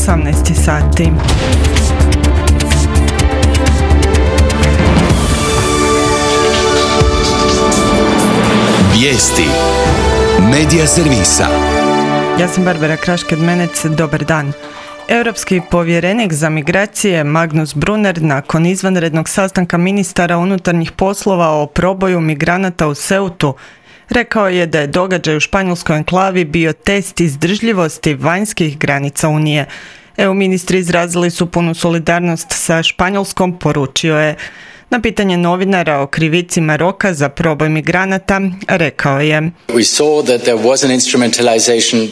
18 sati. Vijesti Medija servisa. Ja sam Barbara Krašked-Menec, dobar dan. Europski povjerenik za migracije Magnus Brunner nakon izvanrednog sastanka ministara unutarnjih poslova o proboju migranata u Ceutu rekao je da je događaj u španjolskoj enklavi bio test izdržljivosti vanjskih granica Unije. EU ministri izrazili su punu solidarnost sa Španjolskom, poručio je. Na pitanje novinara o krivici Maroka za proboj migranata rekao je: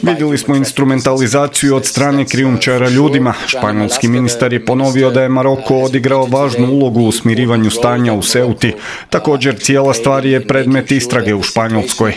Vidjeli smo instrumentalizaciju od strane krijumčara ljudima. Španjolski ministar je ponovio da je Maroko odigrao važnu ulogu u smirivanju stanja u Ceuti. Također, cijela stvar je predmet istrage u Španjolskoj.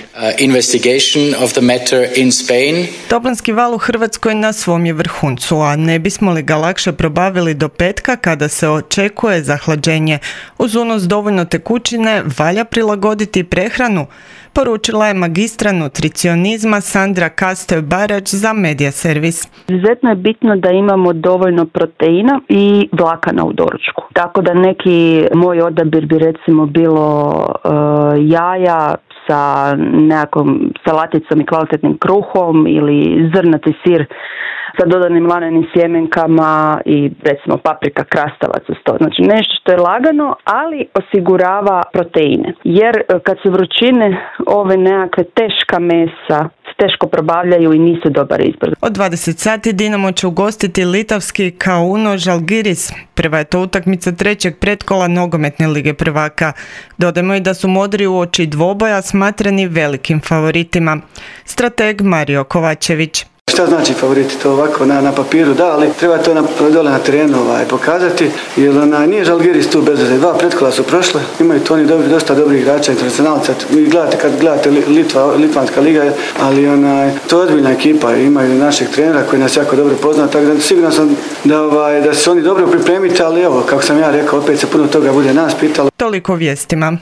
Toplinski val u Hrvatskoj na svom je vrhuncu, a ne bismo li ga lakše probavili do petka kada se očekuje zahlađenje? Uz unos dovoljno tekućine valja prilagoditi prehranu, poručila je magistra nutricionizma Sandra Kastoj-Barać za Medija servis. Izuzetno je bitno da imamo dovoljno proteina i vlakana u doručku. Tako da neki moj odabir bi recimo bilo jaja sa nekakvom salaticom i kvalitetnim kruhom ili zrnati sir sa dodanim lanenim sjemenkama i recimo paprika, krastavac uz to. Znači nešto što je lagano, ali osigurava proteine. Jer kad su vrućine, ove nekakve teška mesa teško probavljaju i nisu dobar izbor. Od 20 sati Dinamo će ugostiti litavski Kauno Žalgiris. Prva je to utakmica trećeg pretkola nogometne lige prvaka. Dodajmo i da su modri uoči dvoboja smatrani velikim favoritima. Strateg Mario Kovačević. Šta znači favoriti? To ovako na papiru da, ali treba to dole na terenu pokazati, jer nije Žalgiris tu bez veze. Dva pretkola su prošle, imaju to oni dosta dobrih igrača, internacionalca. Vi gledate kad gledate Litvanska liga, ali to je ozbiljna ekipa, imaju našeg trenera koji nas jako dobro pozna, tako da sigurno sam da se oni dobro pripremiti, ali evo, kako sam ja rekao, opet se puno toga bude nas pitalo. Toliko vijestima.